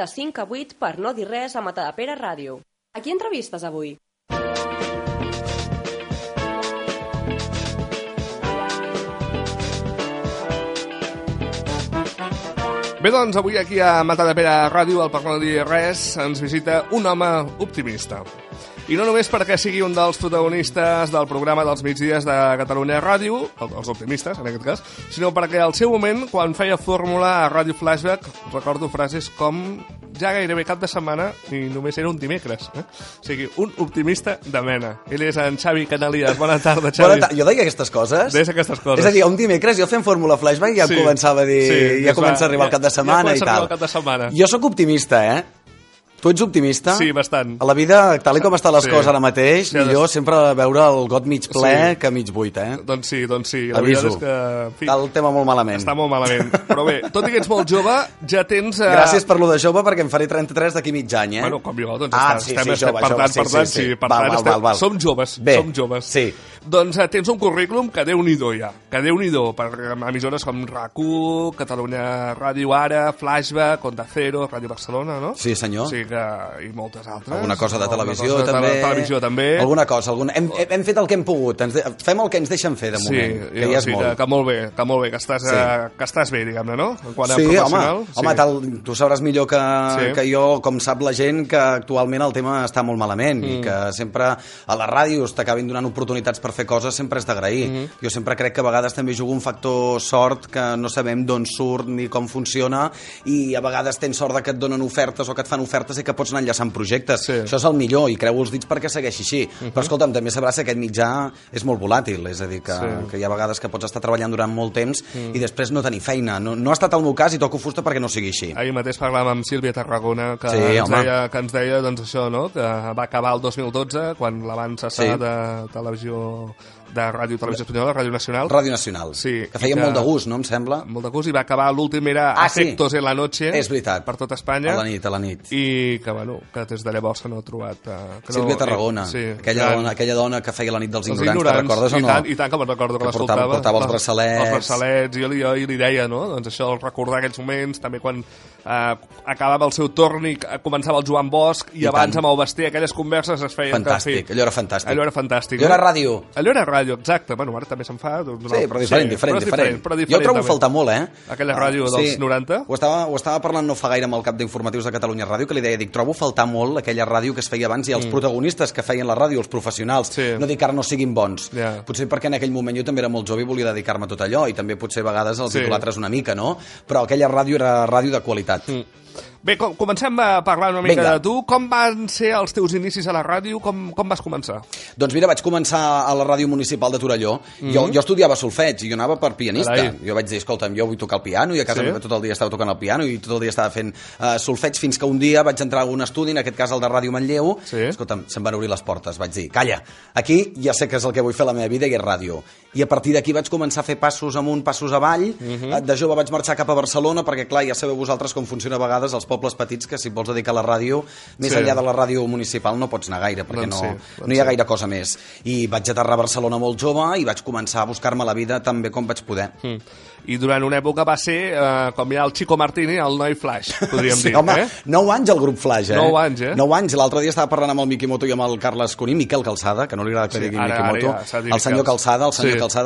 de 5 a 8 per no dir res a Matadepera Ràdio. A qui entrevistes avui? Bé, doncs, avui aquí a Matadepera Ràdio, al Per no dir res, ens visita un home optimista. I no només perquè sigui un dels protagonistes del programa dels migdies de Catalunya Ràdio, els optimistes, en aquest cas, sinó perquè al seu moment, quan feia fórmula a Ràdio Flashback, recordo frases com ja gairebé cap de setmana i només era un dimecres. O sigui, un optimista de mena. Ell és en Xavi Canalies. Bona tarda, Xavi. Jo deia aquestes coses? Deies aquestes coses. És a dir, un dimecres jo fent fórmula Flashback ja començava a dir... ja comença a arribar el cap de setmana i tal. Jo sóc optimista, Tu ets optimista? Sí, bastant. A la vida, tal com estan les coses ara mateix, millor sempre veure el got mig ple que mig buit, Doncs sí. La aviso. Veritat és que... Està el tema molt malament. Està molt malament. Però bé, tot i que ets molt jove, ja tens... Gràcies per lo de jove, perquè em faré 33 d'aquí mig any, Bueno, com jo, doncs jove. Som joves. Bé, som joves. Sí. Doncs tens un currículum que Déu-n'hi-do ja. Que Déu-n'hi-do per emissores com RAC1, Catalunya Ràdio Ara, Flashback, Onda Cero, Ràdio Barcelona, no? Sí, senyor. Sí, i moltes altres. Alguna cosa de televisió, també. Alguna cosa. Hem fet el que hem pogut. Fem el que ens deixen fer, de moment. Sí, ja és molt. Que molt bé, que estàs bé, diguem-ne, no? En quant a professional. Home, tu sabràs millor que jo, com sap la gent, que actualment el tema està molt malament i que sempre a les ràdios t'acabin donant oportunitats per fer coses, sempre és d'agrair. Jo sempre crec que a vegades també jugo un factor sort, que no sabem d'on surt ni com funciona, i a vegades tens sort que et donen ofertes o que et fan ofertes i que pots anar enllaçant projectes. Això és el millor i creu els dits perquè segueixi així. Però escolta'm, també sabràs que aquest mitjà és molt volàtil, és a dir, que hi ha vegades que pots estar treballant durant molt temps i després no tenir feina. No ha estat el meu cas i toco fusta perquè no sigui així. Ahir mateix parlàvem amb Sílvia Tarragona que ens deia doncs això, no? Que va acabar el 2012 quan la van cessar de televisió, de Ràdio Televisió Espanyola, Ràdio Nacional. Ràdio Nacional, que feia molt de gust, no em sembla? Molt de gust, i va acabar l'últim era Afectos en la Noche. És veritat. Per tot Espanya. A la nit. I que, que des de llavors no he trobat... Sílvia Tarragona, aquella dona que feia la nit dels ignorants, te'n recordes o no? I tant que me'n recordo, que l'escoltava. Portava els braçalets. Els braçalets, i jo li deia, no? Doncs això, recordar aquells moments, també quan acabava el seu torn i començava el Joan Bosch, i abans amb el Basté, aquelles converses es feien... Fantàstic, allò era fantàstic. Allò era fantàstic. Allò era ràdio. Allò era ràdio, exacte. Bueno, ara també se'n fa... Sí, però diferent. Jo trobo faltar molt, aquella ràdio dels 90. Ho estava parlant no fa gaire amb el cap d'informatius de Catalunya Ràdio, que li deia, trobo faltar molt aquella ràdio que es feia abans i els protagonistes que feien la ràdio, els professionionals, no dic que ara no siguin bons. Potser perquè en aquell moment jo també era molt jove i volia dedicar-me a tot allò, i també potser a vegades els idolatres una mica, no? Però aquella ràdio era ràdio de qualitat. Bé, comencem a parlar una mica de tu. Com van ser els teus inicis a la ràdio? Com vas començar? Doncs mira, vaig començar a la ràdio municipal de Torelló. Jo estudiava solfeig i jo anava per pianista. Jo vaig dir, escolta'm, jo vull tocar el piano, i a casa tot el dia estava tocant el piano i tot el dia estava fent solfeig, fins que un dia vaig entrar a un estudi, en aquest cas el de Ràdio Manlleu. Escolta'm, se'm van obrir les portes. Vaig dir, calla, aquí ja sé que és el que vull fer a la meva vida i és ràdio. I a partir d'aquí vaig començar a fer passos amunt, passos avall. De jove vaig marxar cap a Barcelona perquè, clar, ja sabeu vosaltres com funciona a vegades els pobles petits, que si vols dedicar a la ràdio, més enllà de la ràdio municipal no pots anar gaire, perquè no hi ha gaire cosa més. I vaig aterrar a Barcelona molt jove i vaig començar a buscar-me la vida tan bé com vaig poder. I durant una època va ser, com ja el Chico Martini, el noi Flash, podríem dir. Home, 9 anys el grup Flash, 9 anys, 9 anys. L'altre dia estava parlant amb el Mikimoto i amb el Carles Cuní, Miquel Calçada, que no li agrada que digui Mikimoto, el senyor Calçada,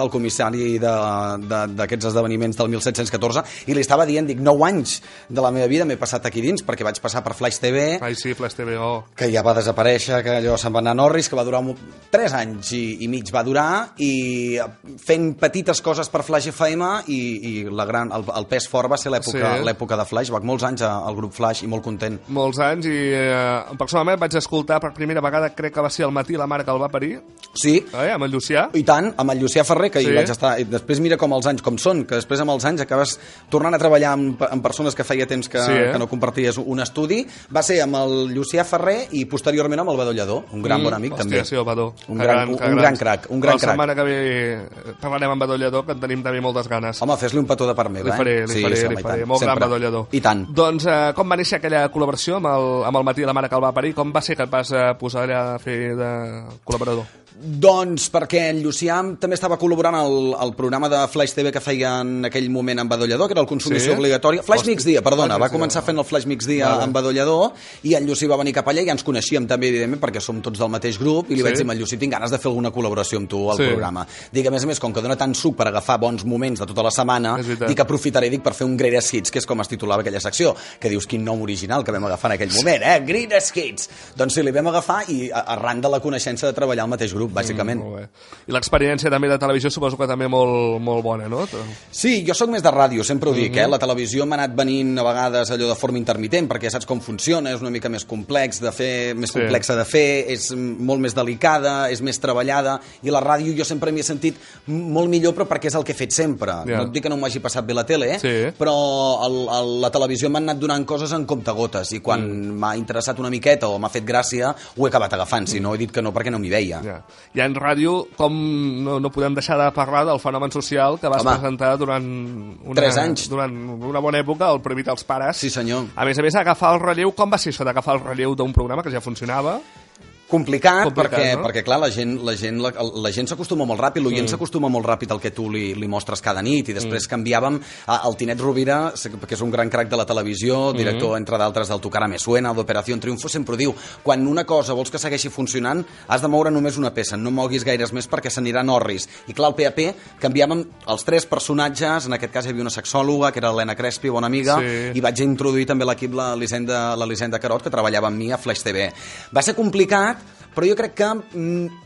el comissari d'aquests esdeveniments del 1714, i li estava dient, dic, 9 anys de la meva vida m'he passat aquí dins, perquè vaig passar per Flash TV, Flash TV, que ja va desaparèixer, que allò se'n va anar a Norris, que va durar 3 anys i mig va durar, i fent petites coses per Flash FM, i el pes fort va ser l'època de Flash. Vaig molts anys al grup Flash i molt content. Molts anys, i personalment vaig escoltar per primera vegada, crec que va ser al matí, la mare que el va parir. Sí. Amb el Llucià. I tant, amb el Llucià Ferrer, que hi vaig estar. I després mira com els anys com són, que després amb els anys acabes tornant a treballar amb persones que feia temps que no comparties un estudi. Va ser amb el Llucià Ferrer i posteriorment amb el Badó Lledó, un gran bon amic també. Hòstia, sí, el Badó. Un gran crac. La setmana que ve parlarem amb Badó Lledó, que en tenim també moltes ganes. Home, Home, fes-li un petó de part meva, Li faré. Molt gran badollador. I tant. Doncs com va néixer aquella col·laboració amb el Matí de la mare que el va parir? Com va ser que et vas posar allà a fer de col·laborador? Doncs perquè en Llucià també estava col·laborant al programa de Flash TV que feia en aquell moment en Badollador, que era el Consumició Obligatòria. Flash Migdia, perdona, va començar fent el Flash Migdia en Badollador, i en Llucí va venir cap allà i ja ens coneixíem també, evidentment, perquè som tots del mateix grup, i li vaig dir a Llucí, tinc ganes de fer alguna col·laboració amb tu al programa. Dic, a més, com que dona tant suc per agafar bons moments de tota la setmana, dic, aprofitaré per fer un Greatest Hits, que és com es titulava aquella secció, que dius, quin nom original que vam agafar en aquell moment, Greatest Hits! Doncs sí, li vam agafar i arran de la coneixença de treballar al mateix grup, bàsicament. I l'experiència també de televisió suposo que també molt bona, no? Sí, jo sóc més de ràdio, sempre ho dic, La televisió m'ha anat venint a vegades allò de forma intermitent, perquè ja saps com funciona, és una mica més complexa de fer, és molt més delicada, és més treballada, i la ràdio jo sempre m'hi he sentit molt millor, però perquè és el que he fet sempre. No et dic que no m'hagi passat bé la tele, però la televisió m'ha anat donant coses en comptagotes, i quan m'ha interessat una miqueta o m'ha fet gràcia, ho he acabat agafant, si no he dit que no perquè no m'hi veia. Ja en ràdio, com no podem deixar de parlar del fenomen social que vas presentar durant 3 anys. Durant una bona època, el Prohibit als pares. Sí, senyor. A més, agafar el relleu, com va ser això d'agafar el relleu d'un programa que ja funcionava? Complicat, perquè clar, la gent s'acostuma molt ràpid, l'oient s'acostuma molt ràpid al que tu li mostres cada nit, i després canviàvem el Tinet Rovira, que és un gran crac de la televisió, director, entre d'altres, del Tu cara me suena, d'Operació Triunfo, sempre ho diu, quan una cosa vols que segueixi funcionant, has de moure només una peça, no moguis gaires més perquè s'aniran orris. I clar, al PAP canviàvem els 3 personatges, en aquest cas hi havia una sexòloga, que era l'Helena Crespi, bona amiga, i vaig introduir també l'equip l'Elisenda Carot, que treballava amb mi a Flash TV. Va ser complicat, però jo crec que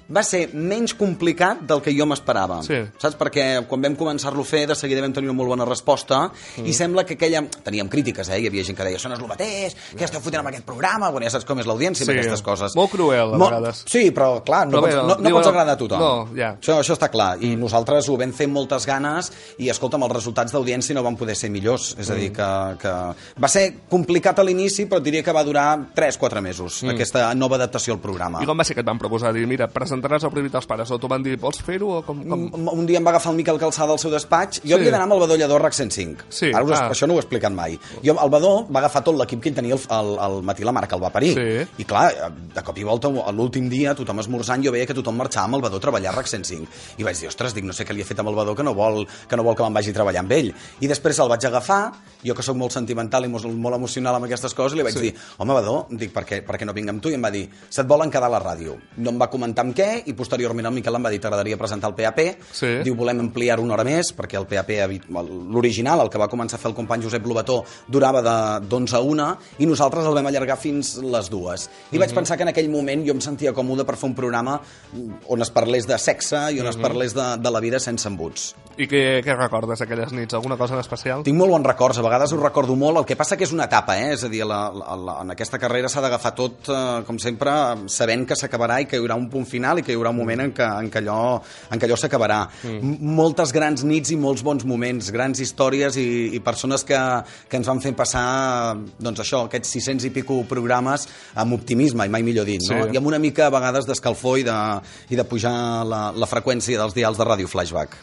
va ser menys complicat del que jo m'esperava. Saps? Perquè quan vam començar-lo a fer, de seguida vam tenir una molt bona resposta, i sembla que teníem crítiques, hi havia gent que deia, això no és el mateix, què esteu fotent amb aquest programa? Bueno, ja saps com és l'audiència amb aquestes coses. Molt cruel, a vegades. Sí, però clar, no pots agradar a tothom. Això està clar, i nosaltres ho vam fer amb moltes ganes, i escolta'm, els resultats d'audiència no van poder ser millors, és a dir, que va ser complicat a l'inici, però diria que va durar 3-4 mesos, aquesta nova adaptació al programa. I com va ser que et van proposar? Dir, mira, presentaràs el Prohibit als pares, o t'ho van dir, vols fer-ho? Un dia em va agafar el Miquel Calçada al seu despatx, jo havia d'anar amb el Badollador RAC 105. Això no ho he explicat mai. El Badó va agafar tot l'equip que ell tenia al Matí la mare que el va parir. I clar, de cop i volta, l'últim dia, tothom esmorzant, jo veia que tothom marxava amb el Badó a treballar a RAC 105. I vaig dir, ostres, no sé què li he fet amb el Badó que no vol que me'n vagi a treballar amb ell. I després el vaig agafar, jo que sóc molt sentimental i molt emocional amb aquestes coses, li vaig dir, home, Badó, per què no vinc amb tu? I em va dir, se't volen quedar a la ràdio. No em va comentar amb què, i posteriorment el Miquel em va dir, t'agradaria presentar el PAP? Diu, volem ampliar una hora més, perquè el PAP, l'original, el que va començar a fer el company Josep Lobató, durava d'11 a 1, i nosaltres el vam allargar fins les 2. I vaig pensar que en aquell moment jo em sentia còmode per fer un programa on es parlés de sexe i on es parlés de la vida sense embuts. I què recordes d'aquelles nits? Alguna cosa en especial? Tinc molt bons records, a vegades ho recordo molt, el que passa que és una etapa, és a dir, en aquesta carrera s'ha d'agafar tot, com sempre, sabent que s'acabarà i que hi haurà un punt final i que hi haurà un moment en què allò s'acabarà. Moltes grans nits i molts bons moments, grans històries i persones que ens van fer passar, doncs això, aquests 600 i pico programes amb optimisme, i mai millor dit, no? I amb una mica a vegades d'escalfor i de pujar la freqüència dels dials de Ràdio Flashback.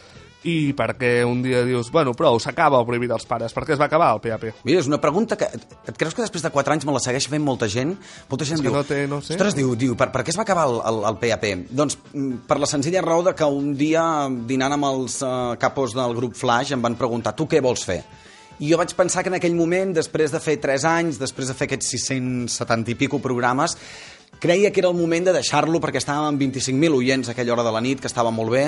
I per què un dia dius, bueno, prou, s'acaba el Prohibit als pares? Per què es va acabar el PAP? Mira, és una pregunta que... Et creus que després de 4 anys me la segueix fent molta gent? Molta gent diu... No sé. Ostres, diu, per què es va acabar el PAP? Doncs per la senzilla raó de que un dia, dinant amb els capos del grup Flash, em van preguntar, tu què vols fer? I jo vaig pensar que en aquell moment, després de fer 3 anys, després de fer aquests 670 i pico programes, creia que era el moment de deixar-lo perquè estàvem amb 25.000 oients a aquella hora de la nit, que estava molt bé,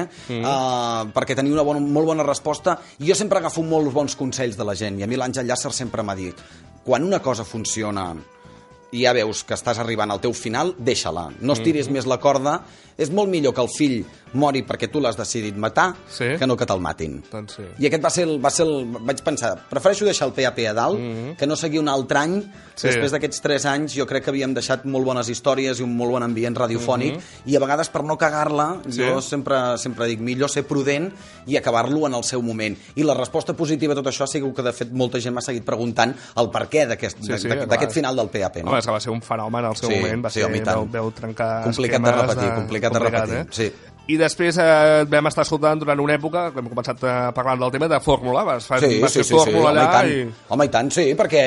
perquè tenia una molt bona resposta, i jo sempre agafo molts bons consells de la gent, i a mi l'Àngel Llàcer sempre m'ha dit, quan una cosa funciona i ja veus que estàs arribant al teu final, deixa-la, no estiris més la corda, és molt millor que el fill mori perquè tu l'has decidit matar que no que te'l matin. I aquest va ser vaig pensar, prefereixo deixar el PAP a dalt que no seguir un altre any. Després d'aquests 3 anys jo crec que havíem deixat molt bones històries i un molt bon ambient radiofònic, i a vegades per no cagar-la jo sempre dic, millor ser prudent i acabar-lo en el seu moment. I la resposta positiva a tot això ha sigut que de fet molta gent m'ha seguit preguntant el perquè d'aquest final del PAP. Home, és que va ser un fenomen al seu moment, va trencar complicat de repetir, sí. I després vam estar escoltant durant una època, que hem començat parlant del tema de Fórmula, vas fer Fórmula allà Home, i tant, sí, perquè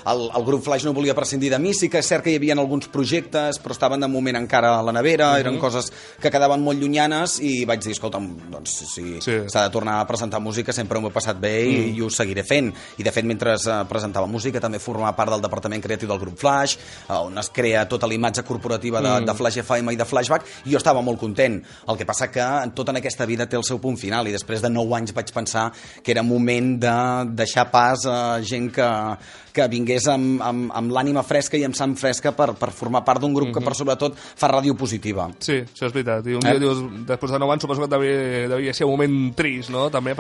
el grup Flaix no volia prescindir de mi, sí que és cert que hi havia alguns projectes, però estaven de moment encara a la nevera, eren coses que quedaven molt llunyanes, i vaig dir, escolta'm, doncs si s'ha de tornar a presentar música sempre m'ho he passat bé i ho seguiré fent. I de fet, mentre presentava música també formava part del departament creatiu del grup Flaix, on es crea tota la imatge corporativa de Flaix FM i de Flashback, i jo estava molt content. El que passa que tot en aquesta vida té el seu punt final, i després de 9 anys vaig pensar que era moment de deixar pas a gent que vingués amb l'ànima fresca i amb sang fresca per formar part d'un grup que per sobretot fa ràdio positiva. Sí, això és veritat. I un dia dius, després de 9 anys suposo que devia ser un moment trist, no? També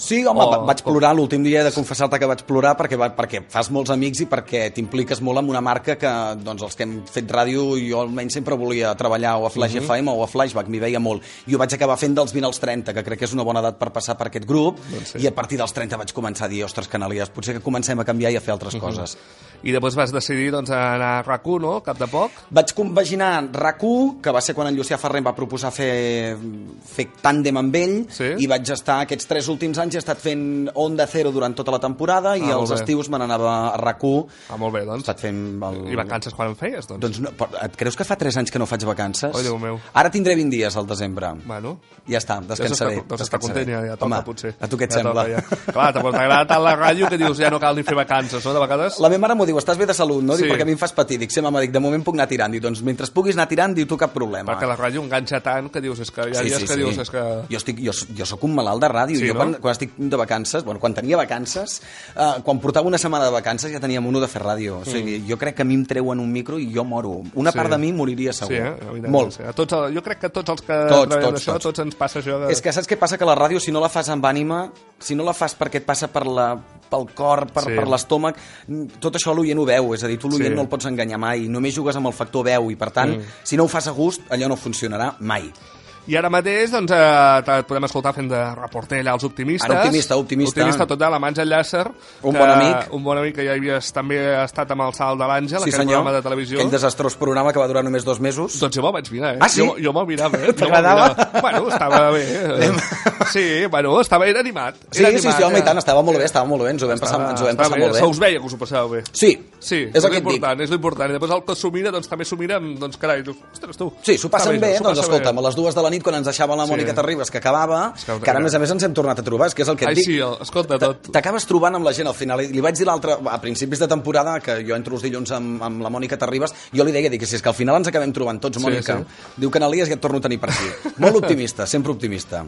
Sí, home, vaig plorar l'últim dia, he de confessar-te que vaig plorar perquè fas molts amics i perquè t'impliques molt en una marca que doncs, els que hem fet ràdio, jo almenys sempre volia treballar o a Flaix FM o a Flashback, m'hi veia molt. I ho vaig acabar fent dels 20 als 30, que crec que és una bona edat per passar per aquest grup, i a partir dels 30 vaig començar a dir, ostres, canalies, potser que comencem a canviar i a fer altres coses. I després vas decidir anar a RAC1, no? Cap de poc? Vaig compaginar RAC1, que va ser quan en Llucià Ferrer em va proposar fer tàndem amb ell, i vaig estar aquests 3 últims anys, he estat fent Onda Cero durant tota la temporada, i els estius me n'anava a RAC1. Molt bé, doncs. I vacances quan en feies, doncs? Doncs no, et creus que fa 3 anys que no faig vacances? Oh, Déu meu. Ara tindré 20 dies al desembre. Bueno. Ja està, descansaré. Deus estar content, ja toca, potser. A tu què et sembla? Clar, t'agrada tant la ràdio que dius, ja no cal ni fer vacances, no? De vegades... La meva mare m'ho diu, estàs bé de salut, no? Diu, perquè a mi em fas patir. Dic, sí, mama, de moment puc anar tirant. Diu, doncs mentre puguis anar tirant, diu tu cap problema. Perquè la ràdio enganxa tant que dius, és que hi ha dies que dius, és que... Jo sóc un malalt de ràdio. Jo quan estic de vacances, quan tenia vacances, quan portava una setmana de vacances ja tenia mono de fer ràdio. O sigui, jo crec que a mi em treuen un micro i jo moro. Una part de mi moriria segur. Molt. Jo crec que tots els que treballem això, tots ens passa això. És que saps què passa? Que la ràdio, si no la fas amb ànima, si no la fas perquè et passa pel cor, per l'estómac, tot això l'oient ho veu, és a dir, tu l'oient no el pots enganyar mai, només jugues amb el factor veu i per tant, si no ho fas a gust, allò no funcionarà mai. I ara mateix doncs, et podem escoltar fent de reporter allà als Optimistes. Ara, optimista total, amb Àngel Llàcer. Un bon amic. Un bon amic que ja havies també estat amb el Salt de l'Àngel, aquell programa de televisió. Aquell desastrós programa que va durar només 2 mesos. Doncs jo me'l vaig mirar, Ah, sí? Jo me'l mirava, T'agradava? Bueno, estava bé. Sí, bueno, era animat. Sí, home, i tant, estava molt bé, ens ho vam passar molt bé. Se us veia que us ho passàveu bé. Sí, és l'important. I després el que s'ho mira, doncs també s'ho mira, doncs carai, ostres, tu. Sí, s'ho passen bé, doncs escolta'm, a les 2 de la nit quan ens deixava la Mònica Terribas, que acabava, que ara a més ens hem tornat a trobar, és que és el que et dic. Sí, escolta tot. T'acabes trobant amb la gent al final. Li vaig dir l'altre, a principis de temporada, que jo entro els dilluns amb la Mònica Terribas, jo li deia, si és que al final ens acabem trobant tots, Mònica. Diu, Canalies, ja et torno a tenir per aquí. Molt optimista, sempre optimista.